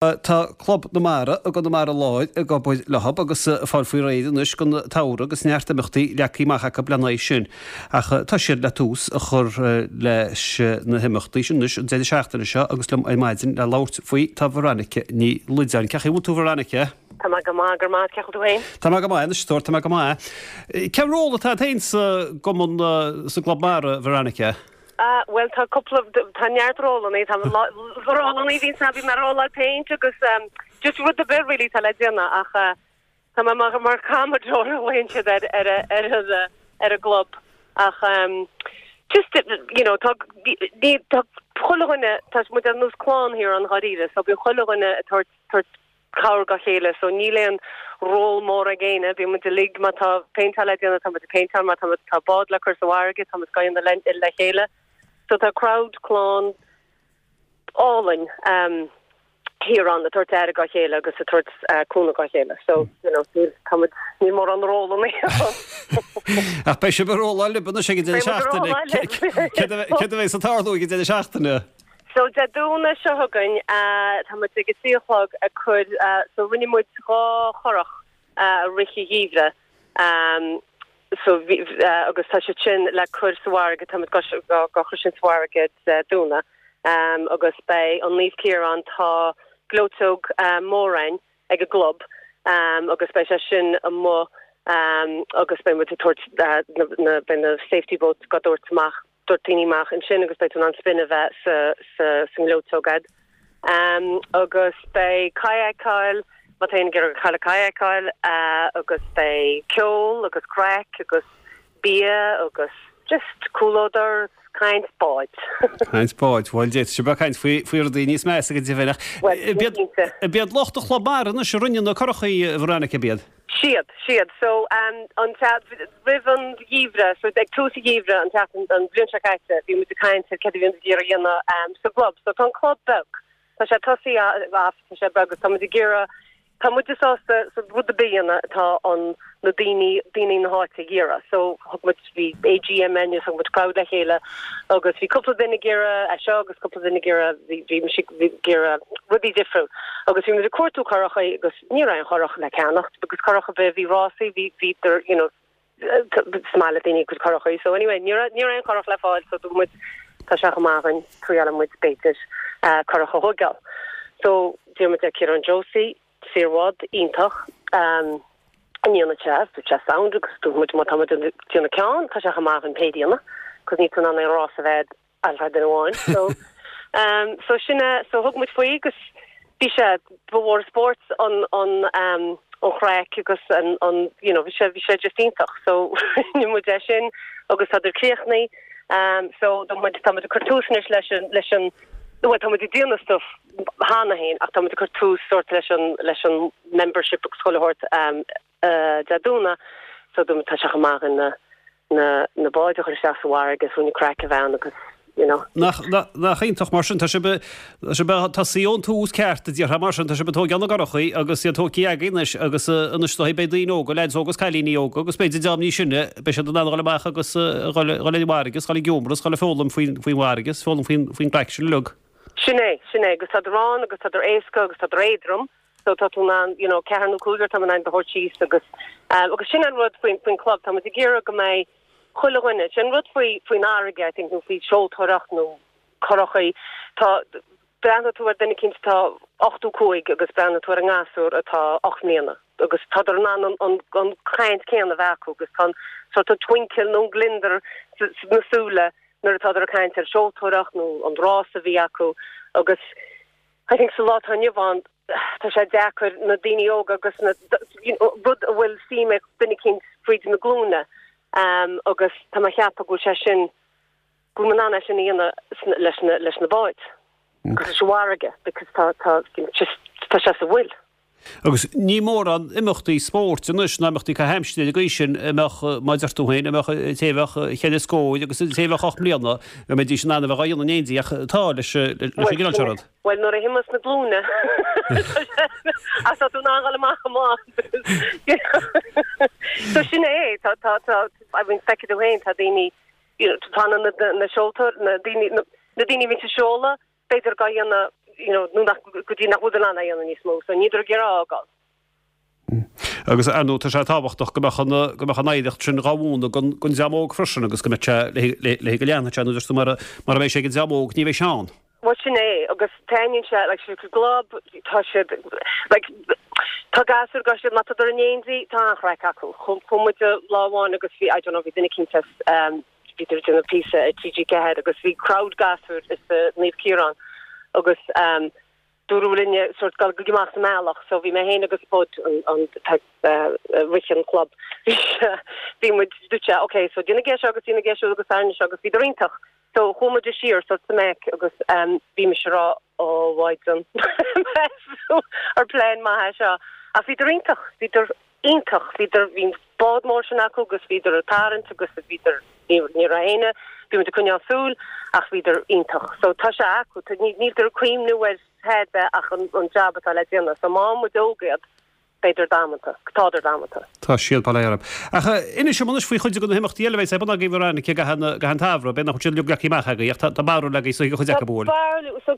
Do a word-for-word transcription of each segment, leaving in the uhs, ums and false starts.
Tá Club na Mara i gConamara Láir ag obair leo agus ag fáil faoi réir anois don tsamhradh agus neart imeachtaí leagtha amach acu lena aghaidh sin. Ach tá siad le tús a chur leis na himeachtaí sin anois an deireadh seachtaine seo agus liom ar maidin le labhairt faoi tá Veronica Ní Loideáin. Cén chaoi a bhfuil tú Veronica? Tá mé go maith, go raibh maith, cén chaoi a bhfuil tú féin? Tá mé go maith anois, a stór, tá mé go maith. Cén ról atá agat féin sa gcumann, sa gClub Mara, Veronica? Ah, bhuel tá cúpla, tá neart rólannaí, tá rólannaí bhíonn sa bhí mé ag róláil péint agus um, just rud ar bith really tá le déanamh ach uh, tá mé mar mar commodore a bhain siad ar ar ar ar ar an gclub ach um, just you know tá ní tá chuile dhuine tá muid ar nós clann thiar i ndáiríre so bíonn chuile dhuine ag tabhairt tabhairt cabhair dá chéile so níl aon ról mór ag éinne bíonn muid uilig má tá péinteáil le déanamh tá muid ag péinteáil má tá tá bád le cur sa bhfarraige tá muid ag déanamh le le chéile so tá crowd clann álainn um, thiar ann ag tabhairt aire dá chéile agus ag tabhairt uh, cúnamh dá chéile so you know níl tá muid níl mórán rólanna Ach beidh sibh ag róláil libh anois ag an deireadh Beidh muid ag seachtaine. róláil libh. Céard a bheas ag tarlú ag an deireadh seachtaine? So Dé Domhnaigh seo chugainn uh, tá muid ag a trí a chlog ag cur uh, so rinne muid dhá churach uh, rith an gheimhridh um, so bhí, uh, agus tá sé sin le cur sa bhfarraige tá muid go go chur sin sa bhfarraige uh, Domhnach um, agus beidh an Naomh Ciarán tá gleoiteog uh, mór againn ag an gclub um, agus beidh sé sin amuigh um, agus beidh muid ag tabhairt uh, na, na, beidh na safety boats go dtabhairt amach dtabhairt daoine amach ansin agus beidh tú in ann spin a bheith sa sa sa ngleoiteog agat. Um, agus beidh kayakáil má tá ag iarraidh kayakáil uh, agus beidh ceol agus craic agus bia agus just comhluadar caint báid. Caint báid, bhuel d'fhéadfadh sibh caint faoi faoi rudaí níos measa go deimhin. Well, cinnte. B'iad lucht an Chlub Mara anois a rinne na curachaí Veronica b'iad. Siad, siad. So um, an roimh an gheimhreadh, so ag tús an gheimhridh an teach an bhliain seo caite, bhí muid ag caint ar céard a bhí ag iarraidh a dhéanamh um, sa gclub. So tá an club beag. Tá sé tosaí tá sé beag agus tá muid ag iarraidh Tá muid sásta sa rud a bíonn atá an na daoine daoine na háite ag iarraidh. So thug muid bhí AGM thug muid crowd le chéile agus bhí cúpla duine ag iarraidh é seo agus cúpla duine ag iarraidh bhí bhí ag iarraidh rudaí difriúil. Agus bhí muid ag cuartú curachaí agus ní raibh aon churach le ceannacht agus curach a bhí bhí rásaí bhí bhí you know smile daoine chun curachaí. So anyway ní ní raibh aon churach le fáil so dúirt muid tá sé amach tuile muid b'fhéidir uh, curach a thógáil. So dúirt muid le Ciarán Josie saorbhád iontach um, an te sé sound agus dúirt muid má tá déanamh ceann tá sé amach an pédíanna, cos ní an an rás a bheith al den amháin. So um, so sinne so thug muid faoi agus bhí sé bhór sport an an um, an chraic agus an an you know bhí sé bhí sé just iontach so ní muid é sin agus tá er críochnaithe um, so do muid tá muid ag cur tús anois leis an leis an Well, tá muid ag déanamh stuff cheana féin ach tá muid ag cur tús sort leis an leis an membership agus chuile shórt um, uh, Dé Domhnaigh so dum tá sé amach na na na báid a chur isteach sa bhfarraige agus rinne craic a bheith agus you know. Nach nach iontach mar sin tá sé sé tá sí ón tús ceart a dtíortha mar sin tá sé tógáil na gcurachaí agus iad tógtha agaibh anois agus anois tá beidh daoine óga leaids óga agus cailíní óga agus b'fhéidir dream níos sine beidh siad in ann dul amach agus dul an bhfarraige, dul ag iomras, dul ag foghlaim faoin faoin bhfarraige, foghlaim faoin faoin gcraic sin uilig. Sin é, sin é, agus tá rán agus tá éasca agus tá éadrom, so tá tú an you know ceathair nó cúigear tá an do síos agus um, agus sin an rud faoin faoin club tá muid ag iarraidh go mbeidh chuile dhuine sin rud faoi faoin fharraige I think nó faoi seoltóireacht nó curachaí tá breathnaíonn tú ar duine éicint tá ochtó cúig agus breathnaíonn tú ar an ngasúr atá ocht mbliana agus tá an an an an caint céanna bheith acu agus tá sort of twinkle nó gliondar sna súile nuair atá ag caint ar seoltóireacht nó an rás a bhí acu agus I think sa lá atá inniu ann tá sé deacair na daoine óga agus na you know, rud a bhfuil suim ag duine éicint fríd na glúine um, agus tá mé ag ceapadh go bhfuil sé sin go bhfuil an sin dhéanamh leis na leis na báid agus leis an bhfarraige because tá tá just tá sé sa bhfuil. Agus ní mórán imeachtaí spóirt anois ná imeachtaí caitheamh aimsire go sin a mbeadh mar a deir tú féin a mbeadh té a bheadh ceithre scór agus té a bheadh ocht mbliana a mbeidís in ann a bheith á dhéanamh in éindí ach tá leis leis an gcineál seo rud. Well nuair a thíos na glúine as tá tú ná amach amach. So sin é tá tá tá I mean feicfidh tú féin tá daoine you know, tá na na na seoltóir na daoine na na daoine bhíonn ag seoladh b'fhéidir go dhéanamh you know, nó nach, go dtí nach bhfuil in ann é a dhéanamh níos mó, so níltear ag iarraidh a fhágáil. Agus ar ndóigh tá sé tábhachtach go mbeadh an, go mbeadh an oidhreacht sin dhá mhúineadh don, don dream óg freisin agus go mbeadh sé le, le, le go leanfadh sé nó deir tú mura, mura mbeidh sé ag an dream óg ní bheidh sé ann. Bhuel sin é agus taitníonn sé like sa gclub tá siad like tá gasúir go siad má tá in éindí tá an-chraic acu. Chuaigh muid lá amháin agus bhí I don't know bhí duine eicínt as um, bhí ag déanamh píosa ar TG Ceathair agus bhí crowd gasúr is uh, Naomh Ciarán agus um, dúradh linne sort gal go amach sa mbealach so bhí mé féin agus Bud an an uh, rith an club bhí muid dúirt sé okay so déanaigí seo agus déanaigí seo agus arna seo agus bhí iontach So chuaigh muid siar so sa mbealach agus um, bhí mise ag rá ó mhaighdean ar plean maith seo. Ach bhíodar iontach, bhíodar iontach, bhíodar bhí bád mór sin acu agus bhíodar ag tarraingt agus bhíodar ní raibh éinne, bhí muid ag coinneáil súil ach bhíodar iontach. So tá sé acu, níltear ag cuimhneamh ar tada ach an, an job atá le déanamh. So má muid óg iad, b'fhéidir damanta, tádar damanta. Tá siad bail orthu. Ach inis dom anois faoi chuid de na himeachtaí eile a bheas ar bun agaibh ar an i gcaitheamh an tsamhraidh, b'fhéidir nach bhfuil siad leagtha amach agaibh, ach tá barúil agaibh so chuid acu bhuel. Barúil, so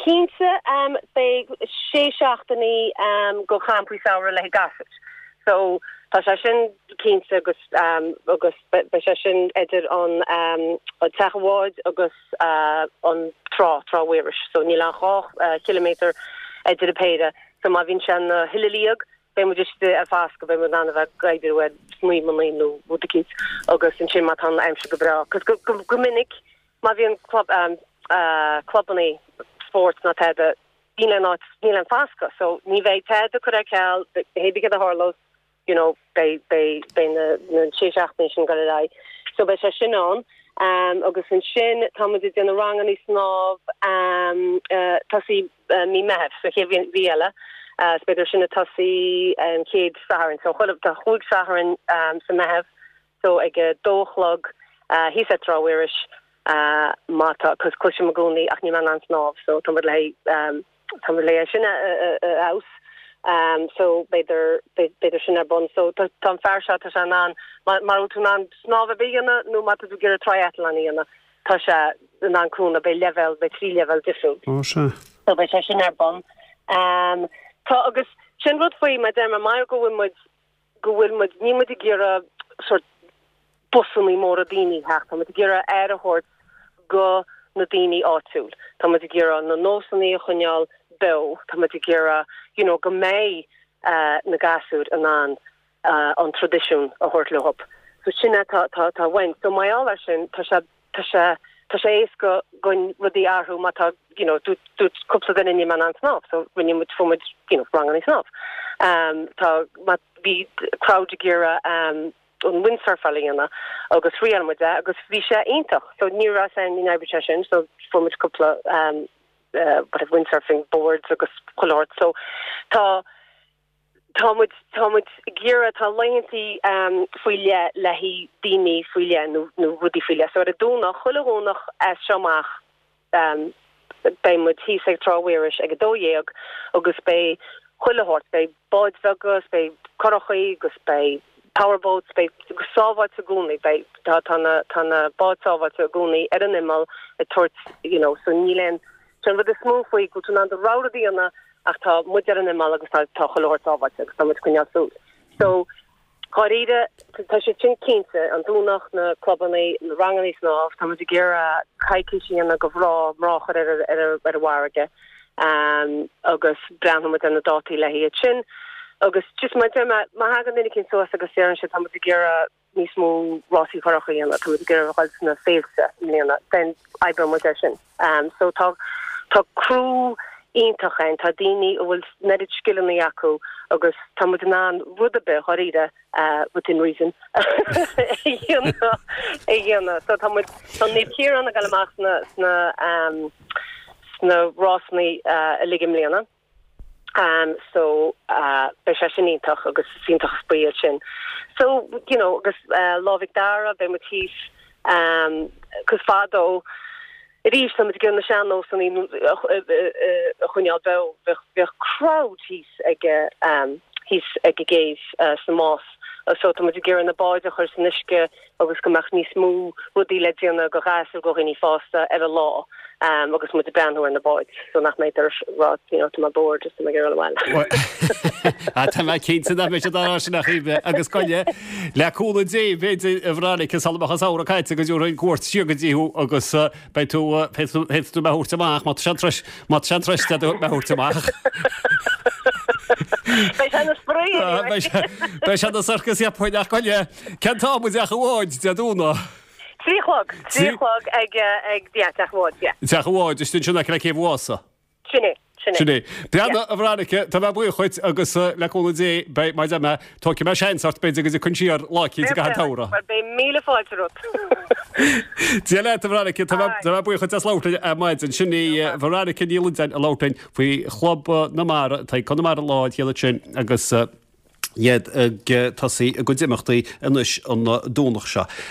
cinnte um, beidh sé seachtainí um, go champaí samhraidh le gasúir. So tá sé sin cinnte agus um, agus beidh sé sin idir an um, an teach an bháid agus uh, an trá Trá Mhuiris. So níl ach dhá uh, kilometer idir an péire. So má bhíonn sé na thuilleadh, beidh muid istigh ar foscadh beidh muid in ann a bheith ag oibriú ar snaidhmeanna nó rud eicínt agus ansin má tá an aimsir go breá. Cos go, go, go minic má bhíonn club um, uh, clubanna spóirt ná tada níl aon áit níl aon foscadh, so ní bheidh tada curtha ar ceal hébí a tharlós you know beidh beidh beidh na na sé seachtainí sin go leith. So beidh sé sin ann. Um, agus ansin tá muid ag déanamh ranganna snámh um, uh, tosaí uh, mí Mheithimh sa chéad mhí eile. Uh, b'fhéidir sin a tosaí um, chéad Satharn so chuile tá chúig Satharn um, sa Mheitheamh so ag a dó a chlog uh, thíos ar Trá Mhuiris uh, má tá cos cloisim i gcónaí ach níl mé in ann snámh so tá le um, tá le sin a, a, a, a Um, so b'fhéidir b'fhéidir sin ar bun so tá an fear seo tá sé in ann má tú in ann snámh a dhéanamh nó má tú ag iarraidh triathlon a dhéanamh tá sé in ann cúnamh beidh level beidh trí level difriúil. Ó sé. So beidh sé sin ar bun. Um, tá agus sin rud faoi mar deir mar go bhfuil muid go bhfuil muid ní muid ag iarraidh sort busanna móra daoine theacht, tá muid ag iarraidh aire a thabhairt go na daoine áitiúil. Tá muid ag iarraidh na nósanna a choinneáil beo, tá muid ag iarraidh you know, go mbeidh uh, na gasúir in ann uh, an traidisiún a thabhairt leo. So sin tá tá tá bhain. So mar gheall air sin tá sé tá sé tá sé éasca chun rudaí a athrú má tá you know, dúirt cúpla duine níl mé in ann snámh, so rinne muid fuair muid you know, ranganna snámh. Um, tá má bhí crowd ag iarraidh um, an windsurfáil a dhéanamh agus thriail muid é agus bhí sé iontach, so ní raibh an in sé sin, so fuair muid cúpla um, uh, what windsurfing boards agus chuile shórt so tá tá muid tá muid ag iarraidh tá laethantaí um, faoi leith le haghaidh daoine faoi leith nó nó rudaí faoi leith so ar an Domhnach chuile Dhomhnach as seo amach um, beidh muid thíos ag Trá Mhuiris ag a dó dhéag agus beidh chuile shórt beidh báid bheaga beidh curachaí agus beidh powerboats beidh sábháilte i gcónaí beidh tá tá na tá na báid sábháilte i gcónaí ar an imeall ag tabhairt you know so níl aon Sin rud is mó faoi go tú in ann do rogha a dhéanamh ach tá muid ar an imeall agus tá tá chuile shórt sábháilte agus tá muid coinneáil súil. So Dáiríre tá sé sin cinnte an Domhnach na clubanna na ranganna snámh tá muid ag iarraidh coicís a dhéanamh go mná mná a chur ar ar ar an bhfarraige um, agus breathnóidh muid ar na dátaí le hiad sin. Agus just mar má má thagann duine eicínt suas agus deireann sé tá muid ag iarraidh níos mó rásaí curach a dhéanamh tá muid ag iarraidh dul sna féilte i mbliana den oibreoidh muid ar sin. Um, so tá tá crew iontach ann tá daoine a bhfuil an oiread scileanna acu agus tá muid in ann rud ar bith dáiríre uh, within reason a dhéanamh so tá muid tá Naomh Ciarán ag dul amach sna sna um, sna rásanna uh, uilig i mbliana. Um, so uh, beidh sé sin iontach agus iontach spraoi sin. So you know agus uh, Lá Mhic Dara beidh muid thíos um, cos fadó arís tá muid ag na sean-nósanna a choinneáil beo bheadh crowd thíos ag um, thíos ag an gcéibh uh, sa Más So tá muid ag iarraidh na báid a chur san uisce agus go mbeadh níos mó rudaí le déanamh do ghasúir go dhaoine fásta ar an lá um, agus muid ag breathnú ar na báid so nach mbeidh ar rá you know, tá mé bored just ag iarraidh abhaile. Tá mé cinnte nach mbeidh siad á sin ach agus goile le cúnamh Dé b'fhéidir a Veronica sula mbeadh an samhradh caite go dtabharfainn cuairt siar go dtí thú agus beidh tú féadfaidh tú mé a thabhairt amach má tá sé an má tá sé an turas mé a thabhairt amach. Beidh sé ina spraoi Beidh sé ina sorcas cheapfainn ach goile cén t-am i dTeach an Bháid Dé Domhnaigh. Trí chlog trí chlog ag ag teach an Bháid. Teach an Bháid is sin le céibh Mhása. Sin é. Sin é. Breathnaigh a Veronica tá mé buíoch dhuit agus le cúnamh Dé beidh mar a deir mé tógfaidh mé seans ort b'fhéidir go dtiocfainn siar lá eicínt i gcaitheamh an tsamhraidh. Well beidh míle fáilte romhat. Dia leat a Veronica tá mé buíoch dhuit as labhairt linn ar maidin. Sin í Veronica Ní Loideáin ag labhairt linn faoi Chlub na Mara atá i gConamara Láir thiar ansin agus iad ag tosaí a gcuid imeachtaí anois an Domhnach seo.